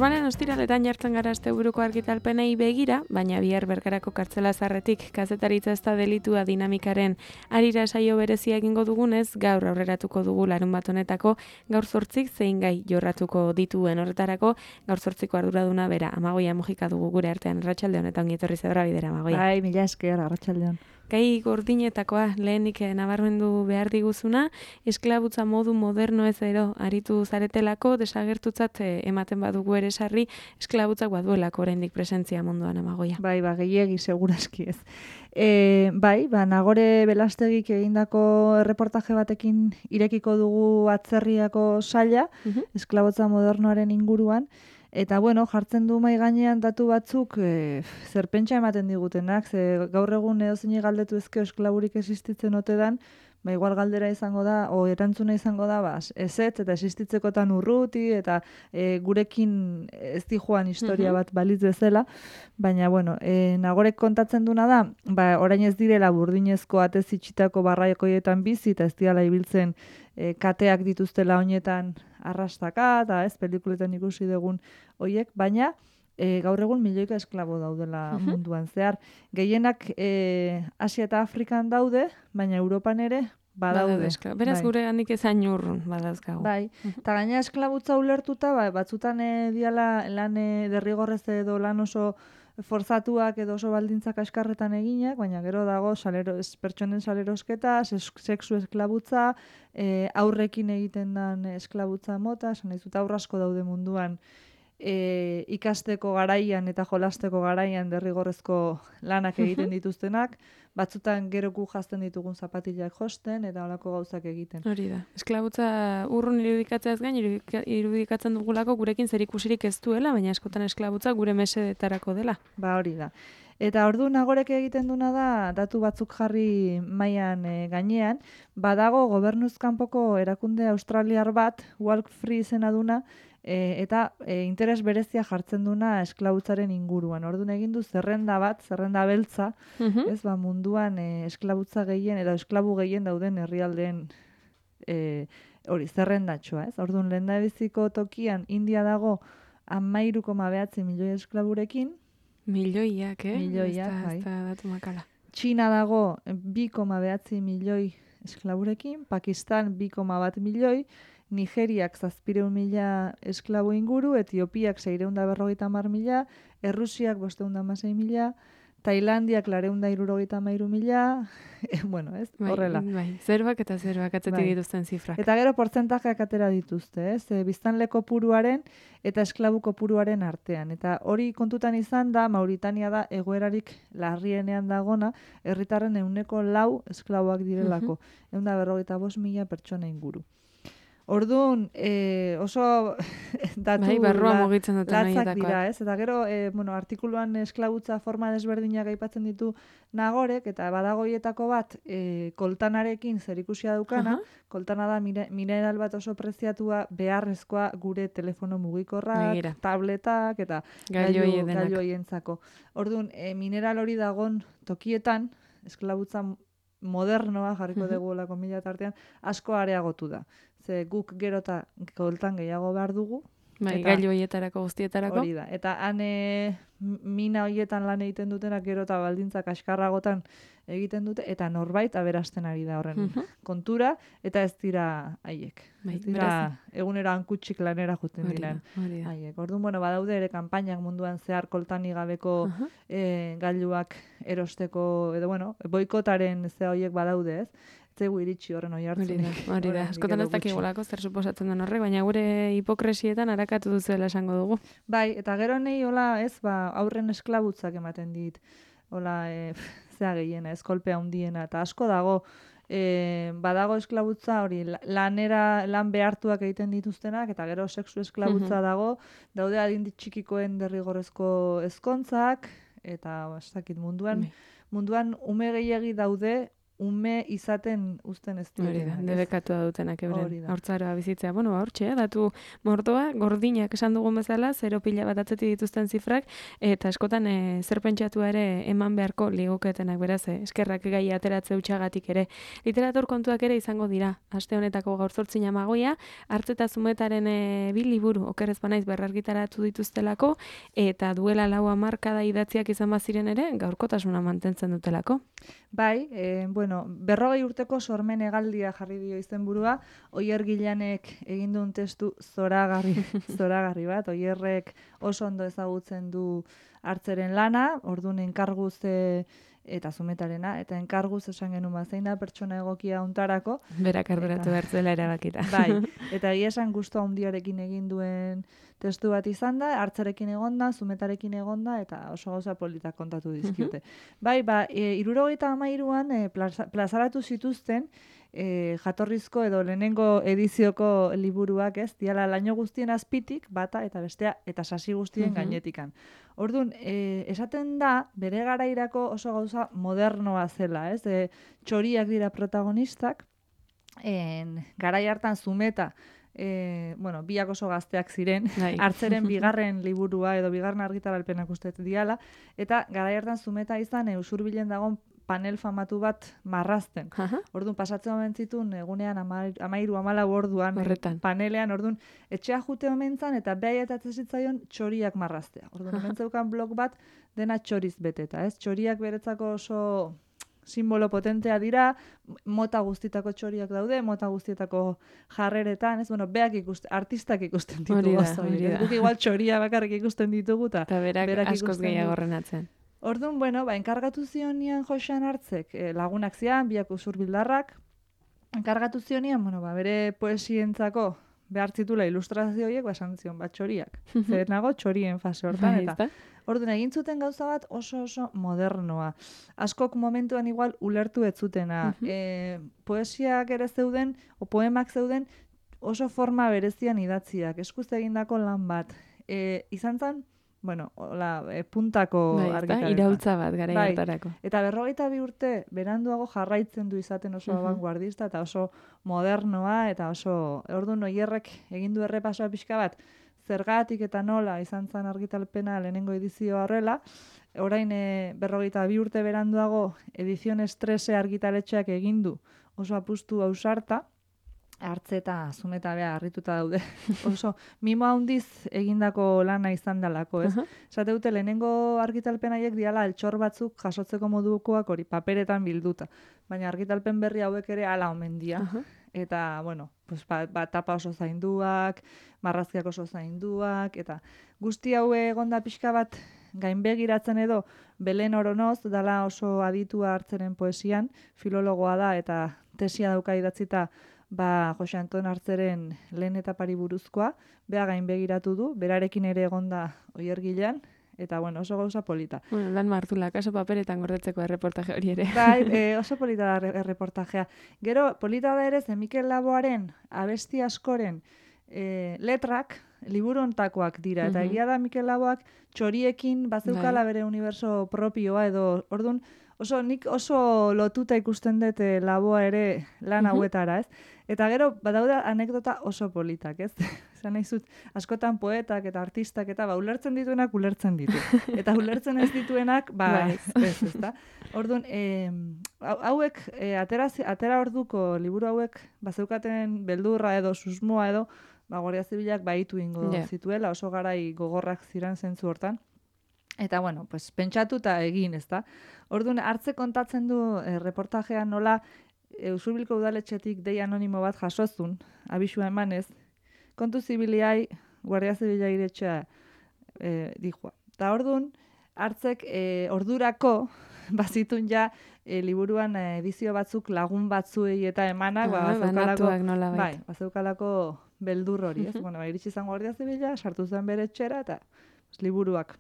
Normalen ostiraletan jartzen gara asteburuko argitalpenei begira, baina bihar Bergarako kartzela zarretik kazetaritza ez da delitua dinamikaren harira saio berezia egingo dugunez, gaur aurreratuko dugu larunbat honetako gaur 8 zein gai jorratuko dituen horretarako, gaur 8ko arduraduna bera, Amagoia Mujika dugu gure artean. Arratsalde honetan ongi etorri zebra bidera, Amagoia. Bai, mila esker, arratsaldeon. Gai gordinetakoa lehenik nabarmendu behar diguzuna, esklabutza modu moderno ez ero aritu zaretelako, desagertutzat ematen badugu ere sarri, esklabutzak baduelako oraindik presentzia munduan, Amagoia. Bai, gehiegi segurazki ez. Bai, Nagore Belastegik egindako erreportaje batekin irekiko dugu atzerriako saila, esklabutza modernoaren inguruan, eta jartzen du mai gainean datu batzuk zerpentsa ematen digutenak, ze gaur egun edozeini galdetu ezkeo esklaburik existitzen ote dan, igual galdera izango da, o erantzuna izango da, ezetz eta existitzekotan urruti, eta gurekin ez di joan historia bat balitz bezala, baina, Nagorek kontatzen duna da, orain ez direla burdinezko atez itxitako barraikoietan bizi, eta ez direla ibiltzen kateak dituztela honetan arrastaka, eta ez, pelikuletan ikusi dugun hoiek, baina gaur egun milioika esklabo daudela munduan zehar. Gehienak Asia eta Afrikan daude, baina Europan ere badaude. Beraz gure handik ezain urrun badauzkagu. Bai, eta gaina esklabutza ulertuta, batzutan diala lan derrigorrez edo lan oso forzatuak edo oso baldintzak askarretan eginak, baina gero dago pertsonen salerosketa, sexu esklabutza, aurrekin egiten den esklabutza mota, esan nahi aurre asko daude munduan, ikasteko garaian eta jolasteko garaian derrigorrezko lanak egiten dituztenak, batzutan geroku jazten ditugun zapatilak josten eta holako gauzak egiten. Hori da. Esklabutza urrun irudikatzeaz gain, irudikatzen dugulako gurekin zerikusirik ez duela, baina askotan esklabutza gure mesedetarako dela. Hori da. Eta ordu Nagorek egiten duna da, datu batzuk jarri mailan gainean, badago gobernuz kanpoko erakunde australiar bat, Walk Free izena duna, eta interes berezia jartzen duna esklabutzaren inguruan. Orduan egin du zerrenda bat, zerrenda beltza, ez munduan esklabutza gehien edo esklabu gehien dauden herrialdeen hori zerrendatxoa, ez? Orduan lehendabiziko tokian India dago 13,9 milioi esklaburekin. Milioiak, Milioiak, bai. Ez da datu makala. Txina dago 2,9 milioi esklaburekin, Pakistan 2,1 milioi, Nigeriak 700.000 esklabu inguru, Etiopiak 650.000, Errusiak 516.000, Tailandiak 473.000, ez? Horrela. Bai, zerbak atzetik dituzten zifrak. Eta gero portzentajeak atera dituzte, ez? Biztanle kopuruaren eta esklabu kopuruaren artean. Eta hori kontutan izan da, Mauritania da egoerarik larrienean dagona, herritarren 4% esklaboak direlako. 145.000 pertsona inguru. Orduan, oso datu barrua mugitzen duten latzak dira, ez? Eta gero, artikuluan esklabutza forma desberdinak aipatzen ditu Nagorek, eta badagoietako bat koltanarekin zerikusia daukana, koltana da mineral bat oso preziatua beharrezkoa gure telefono mugikorrak, tabletak eta gailuoientzako. Orduan, mineral hori dagon tokietan, esklabutza modernoa jarriko dugu lako mila tartean, asko areagotu da. Ze guk gero eta koltan gehiago behar dugu. Gailu horietarako guztietarako. Hori da. Eta mina horietan lan egiten dutenak gero eta baldintzak askarragotan egiten dute, eta norbait aberasten ari da horren kontura, eta ez dira haiek. Ez dira egunero hankutsik lanera juten diren haiek. Orduan, badaude ere kanpainak munduan zehar koltani gabeko gailuak erosteko, edo boikotaren horiek badaude, ez? Zegu iritsi horren oi hartzunik. Hori da, askotan ez dakigulako zer suposatzen den horrek, baina gure hipokresietan harakatu duzuela esango dugu. Bai, eta gero nahi, aurren esklabutzak ematen dit, zea gehiena, kolpea handiena, eta asko dago, badago esklabutza hori, lan behartuak egiten dituztenak, eta gero sexu esklabutza dago, daude adin txikikoen derrigorrezko ezkontzak, eta munduan ume gehiagi daude, ume izaten uzten ez Hori da, debekatua dutenak euren haurtzaroa bizitzea. Bueno, hortxe, datu mordoa, gordinak esan dugun bezala, 0 pila bat atzetik dituzten zifrak, eta askotan zer pentsatua ere eman beharko liguketenak, beraz, eskerrak gai ateratze utxagatik ere. Literatur kontuak ere izango dira, aste honetako gaur 8 amagoia, Hartze eta Zumetaren 2 liburu, okerrez banaiz berrargitaratu dituztelako, eta duela 4 hamarkada idatziak izan baziren ere, gaurkotasuna mantentzen dutelako. Bai, 40 urteko sormen hegaldia jarri dio izenburua, Oier Gilanek egin duen testu zoragarri bat, Oierrek oso ondo ezagutzen du Hartzeren lana, orduan enkarguz eta Zumetarena, eta enkarguz esan genuen zein da pertsona egokia hontarako. Berak arduratu bertzela erabakita. Bai, eta egia esan gustu handiarekin egin duen testu bat izan da, Hartzerekin egonda, Zumetarekin egonda, eta oso gauza politak kontatu dizkiote. Bai, 73an plazaratu zituzten jatorrizko edo lehenengo edizioko liburuak, ez, diala laino guztien azpitik, bata eta bestea, eta sasi guztien gainetikan. Orduan, esaten da, bere garairako oso gauza modernoa zela, ez, txoriak dira protagonistak, garai hartan Zumeta, biak oso gazteak ziren, Hartzeren bigarren liburua edo bigarren argitaralpenak uste diala, eta garai hartan Zumeta izan Usurbilen dagoen panel famatu bat marrazten. Orduan, pasatzen omen zituen, egunean 13-14 orduan, panelean, orduan, etxea jute omentzan, eta behai eta zitzaion txoriak marraztea. Orduan, hemen zeukan blog bat, dena txoriz beteta, ez? Txoriak beretzako oso simbolo potentea dira, mota guztietako txoriak daude, mota guztietako jarreretan, ez? Bueno, artistak ikusten ditugu. Guk igual txoria bakarrik ikusten ditugu, eta berak askoz gehiago horrenatzen. Orduan, enkargatu zionian Joxean Hartzek, lagunak zian, biak Usurbildarrak, enkargatu zionian, bere poesientzako behar zitula ilustrazio horiek, esan zion, txoriak. Zer nago, txorien fase hortan, eta orduan, egin zuten gauza bat oso modernoa. Askok momentuan igual ulertu ez zutena. Poesiak ere zeuden, o poemak zeuden, oso forma berezian idatziak, eskuz egindako lan bat. Izan zen, puntako argitaletza. Iraultza bat gara hartarako. Eta 42 urte beranduago jarraitzen du izaten oso vanguardista eta oso modernoa eta oso orduan Oierrek egin du errepasoa pixka bat zergatik eta nola izan zen argitalpena lehenengo edizioa horrela. Orain 42 urte beranduago Ediciones 13 argitaletxeak egin du oso apustu ausarta. Hartze eta Zumeta bea harrituta daude. Oso mimo handiz egindako lana izan dalako, ez? Esate dute lehenengo argitalpen haiek diala altxor batzuk jasotzeko modukoak hori paperetan bilduta. Baina argitalpen berri hauek ere hala omen dira. Eta, tapa oso zainduak, marrazkiak oso zainduak, eta guzti hau egonda pixka bat gainbegiratzen edo Belen Oronoz, dala oso aditua Hartzeren poesian, filologoa da eta tesia dauka idatzita Jose Anton Hartzeren lehen etapari buruzkoa, bea gainbegiratu du, berarekin ere egonda Oier Gilan, eta oso gauza polita. Lan martula, kaso paperetan gordetzeko erreportaje hori ere. Bai, oso polita da erreportajea. Gero, polita da ere, Mikel Laboaren abesti askoren letrak, liburu ontakoak dira, eta egia da Mikel Laboak txoriekin bazeukala bere universo propioa edo, orduan, nik oso lotuta ikusten dut Laboa ere lan hauetara, ez? Eta gero, badaude anekdota oso politak, ez? Zan nahi zut, askotan poetak eta artistak eta ulertzen dituenak ulertzen ditu. Eta ulertzen ez dituenak, ez da? Orduan, hauek, atera orduko liburu hauek, bazeukaten beldurra edo susmoa edo, Guardia Zibilak baitu ingo zituela, oso garai gogorrak ziren zentzu hortan. Eta, pentsatu eta egin, ez da? Orduan, Hartze kontatzen du reportajean nola Usurbilko udaletxetik dei anonimo bat jasozun, abisua emanez, kontu zibiliai Guardia Zibila iretxea dihua. Eta orduan, Hartzek ordurako bazitun ja liburuan edizio batzuk lagun batzuei eta emanak, bazeukalako beldur hori, ez? Iritsi izan Guardia Zibila, sartu zen bere etxera eta liburuak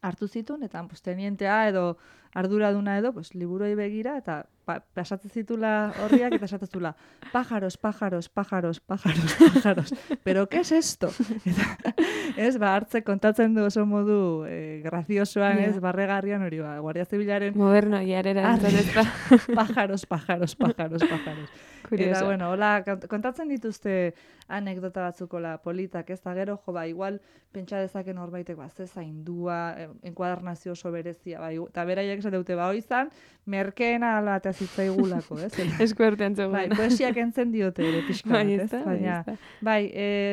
hartu zituen, eta tenientea edo arduraduna edo, pues, liburuei begira, eta pasatzen zitula horriak, eta esatezula, pájaros, pájaros, pájaros, pájaros, pájaros, pero ¿qué es esto? Eta, ez, hartze kontatzen du oso modu graziosoan, ez, barregarrian hori, Guardia Zibilaren... Moderno, jarera entzatezta. Pájaros, pájaros, pájaros, pájaros. Curioso. Eta, bueno, hola, kontatzen dituzte anekdota batzukola politak, ez da gero, igual, pentsa dezaken horbaitek, ze zaindua, enkuadernazio oso berezia, eta beraiek esateute, izan, merkeena ala eta zitzaigulako, ez? Eskuertean zegoen. Poesiak entzen diote ere pixka bat, ez? Baina,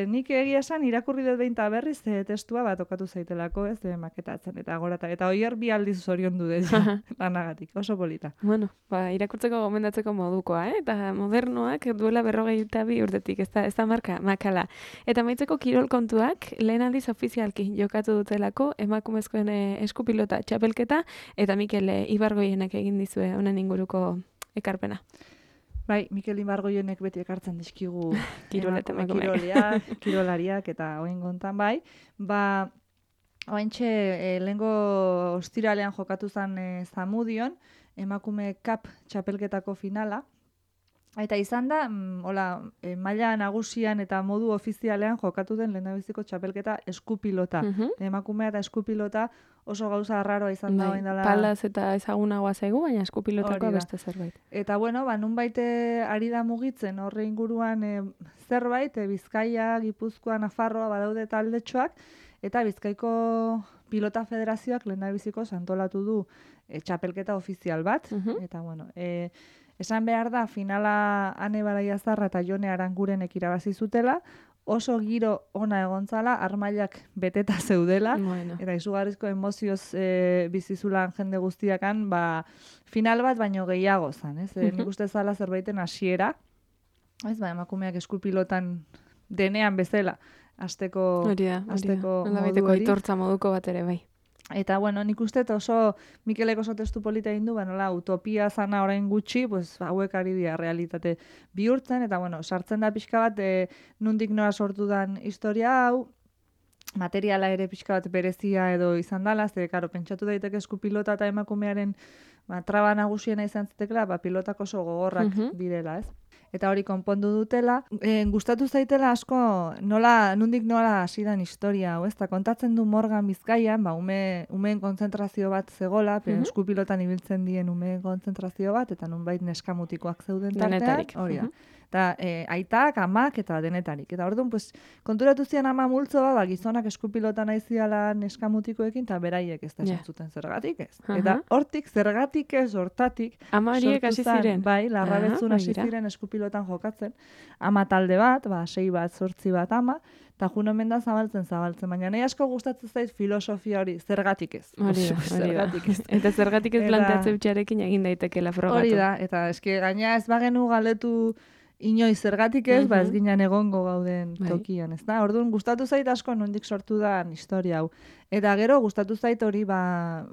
nik egia esan irakurri dut behin berriz testua bat okatu zaitelako, ez? Maketatzen, eta gorata, eta oier bi aldiz zorion du dut, lanagatik, oso polita. Bueno, irakurtzeko gomendatzeko modukoa, eta modernoak duela 42 urtetik, ez da marka, makala. Eta maitzeko kirol kontuak, lehen aldiz ofizialki jokatu dutelako, emakumezkoen eskupilota txapelketa, eta Mikel Ibargoienek egin dizue honen inguruko ekarpena. Bai, Mikel Ibargoienek beti ekartzen dizkigu kirolariak eta oin gontan bai. Ointxe, lehengo ostiralean jokatu zen Zamudion, emakume cup txapelketako finala. Eta izan da, maila nagusian eta modu ofizialean jokatu den lehendabiziko txapelketa eskupilota. Emakumea eta eskupilota oso gauza arraroa izan da. Palaz eta ezagunagoa zaigu, baina eskupilotakoa beste zerbait. Eta bueno, nunbait ari da mugitzen horre inguruan zerbait, Bizkaia, Gipuzkoa, Nafarroa badaude taldetxoak, eta Bizkaiko Pilota Federazioak lehendabiziko antolatu du txapelketa ofizial bat. Eta bueno, esan behar da, finala Ane Baraiazarra eta Jone Arangurenek irabazi zutela, oso giro ona egontzala, armailak beteta zeudela, eta izugarrizko emozioz bizizulan jende guztiakan, final bat baino gehiago zan, ez? Nik uste zala zerbaiten hasiera, ez, emakumeak eskupilotan denean bezala, azteko modu hori. Aitortza moduko bat ere, bai. Eta, bueno, nik uste oso Mikelek oso testu polita egin du, nola, utopia zana orain gutxi, hauek ari dira realitate bihurtzen, eta, bueno, sartzen da pixka bat, nundik nora sortu dan historia hau, materiala ere pixka bat berezia edo izan dala, karo, pentsatu daiteke eskupilota eta emakumearen traba nagusiena izan zitekela, pilotak oso gogorrak direla, ez? Eta hori konpondu dutela. Gustatu zaitela asko nundik nola hasidan historia, eta kontatzen du Morgan Bizkaian, umeen kontzentrazio bat zegola, eskupilotan ibiltzen dien umeen kontzentrazio bat, eta nunbait neskamutikoak zeuden tartean. Hori da. Eta aitak, amak eta denetarik. Eta orduan, konturatu zian ama multzoa, gizonak eskupilotan aiziala neskamutikoekin, eta beraiek ez da esantzuten zergatik ez. Eta hortik, zergatik ez, hortatik, ama horiek hasi ziren. Bai, larrabetzun hasi ziren eskupilotan jokatzen. Ama talde bat, 6 bat, 8 bat ama, eta jun omen da zabaltzen, baina nahi asko gustatzen zait filosofia hori, zergatik ez. Zergatik ez. Eta zergatik ez planteatze bitxarekin egin daitekela frogatu. Hori da, eta eske gaina ez bagenu galdetu inoiz zergatik ez, ez ginen egongo gauden tokian, ez da? Orduan, gustatu zait asko nondik sortu da historia hau. Eta gero, gustatu zait hori,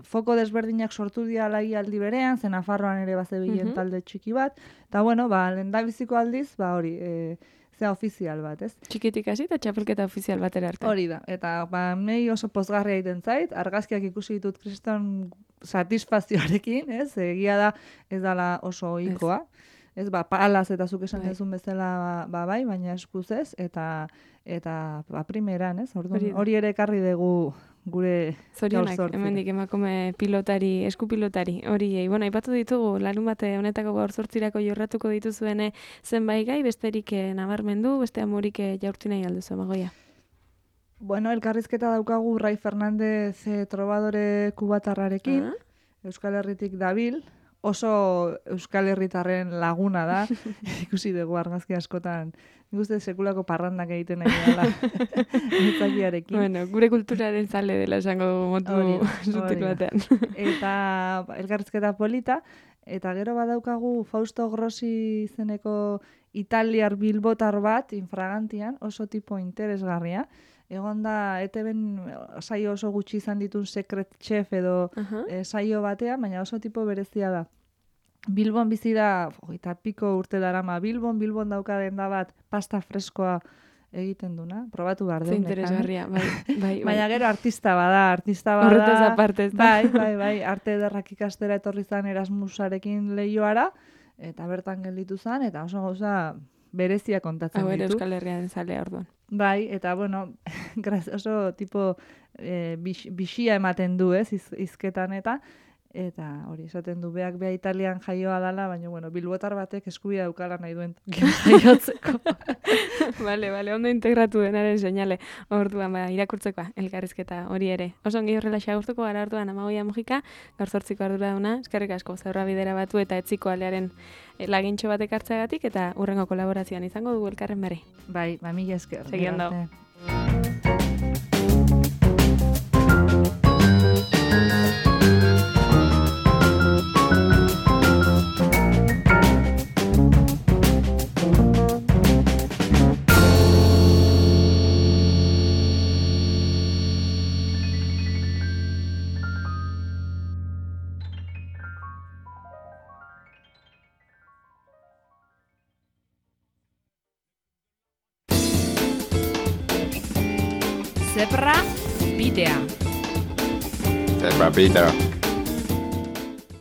foko desberdinak sortu dialai aldi berean, zen Nafarroan ere bazebilen talde txiki bat, eta bueno, lehendabiziko aldiz, hori, zea ofizial bat, ez? Txikitik hasi eta txapelketa ofizial batera arte. Hori da, eta nahi oso pozgarria egiten zait, argazkiak ikusi ditut kriston satisfazioarekin, ez? Egia da, ez dala oso ohikoa. Ez, palaz eta zuk esan dezun bezala bai, baina eskuz ez, eta primeran, ez? Hori ere ekarri dugu gure zorionak, hemendik emakume pilotari, eskupilotari, hori, bueno, aipatu ditugu, larun bate honetako gaur zortzirako jorratuko dituzuene zenbait gai, besterik nabarmendu, beste amurik jaurti nahi alduzu, Magoia. Bueno, elkarrizketa daukagu Rai Fernandez trovadore kubatarrarekin, Euskal Herritik dabil, oso Euskal Herritarren laguna da, ikusi dugu argazki askotan, nik uste sekulako parrandak egiten nahi dela nitzakiarekin. Bueno, gure kulturaren zale dela esango motu zutik batean. Eta elkarrizketa polita, eta gero badaukagu Fausto Grossi izeneko italiar bilbotar bat, infragantian, oso tipo interesgarria. Egon da, ETB-en saio oso gutxi izan ditun Secret Chef edo saio batean, baina oso tipo berezia da. Bilbon bizi da, eta piko urte darama, Bilbon dauka denda bat pasta freskoa egiten duna, probatu behar Ze dut. interesgarria, bai. Baina gero artista bada. Horretaz aparte, ez da? Bai, arte ederrak ikastera etorri zan Erasmusarekin lehioara, eta bertan gelditu zan, eta oso gauza berezia kontatzen Hau ere ditu. Euskal Herrian zalea orduan. Bai, eta bueno, oso tipo bixia ematen du, ez, hizketan eta hori esaten du beak bea Italian jaioa dala, baina bueno, bilbotar batek eskubidea daukala nahi duen jaiotzeko. Vale, ondo integratu denaren seinale. Orduan irakurtzeko elkarrizketa hori ere. Oso ongi horrela xagurtuko gara orduan Amagoia Mujika, gaur 8ko arduraduna, eskerrik asko Zaurra bidera batu eta etziko alearen lagintxo batek hartzeagatik eta hurrengo kolaborazioan izango dugu elkarren bere. Bai, mila esker. Segi ondo. Zebra bidea. Zebra bidea.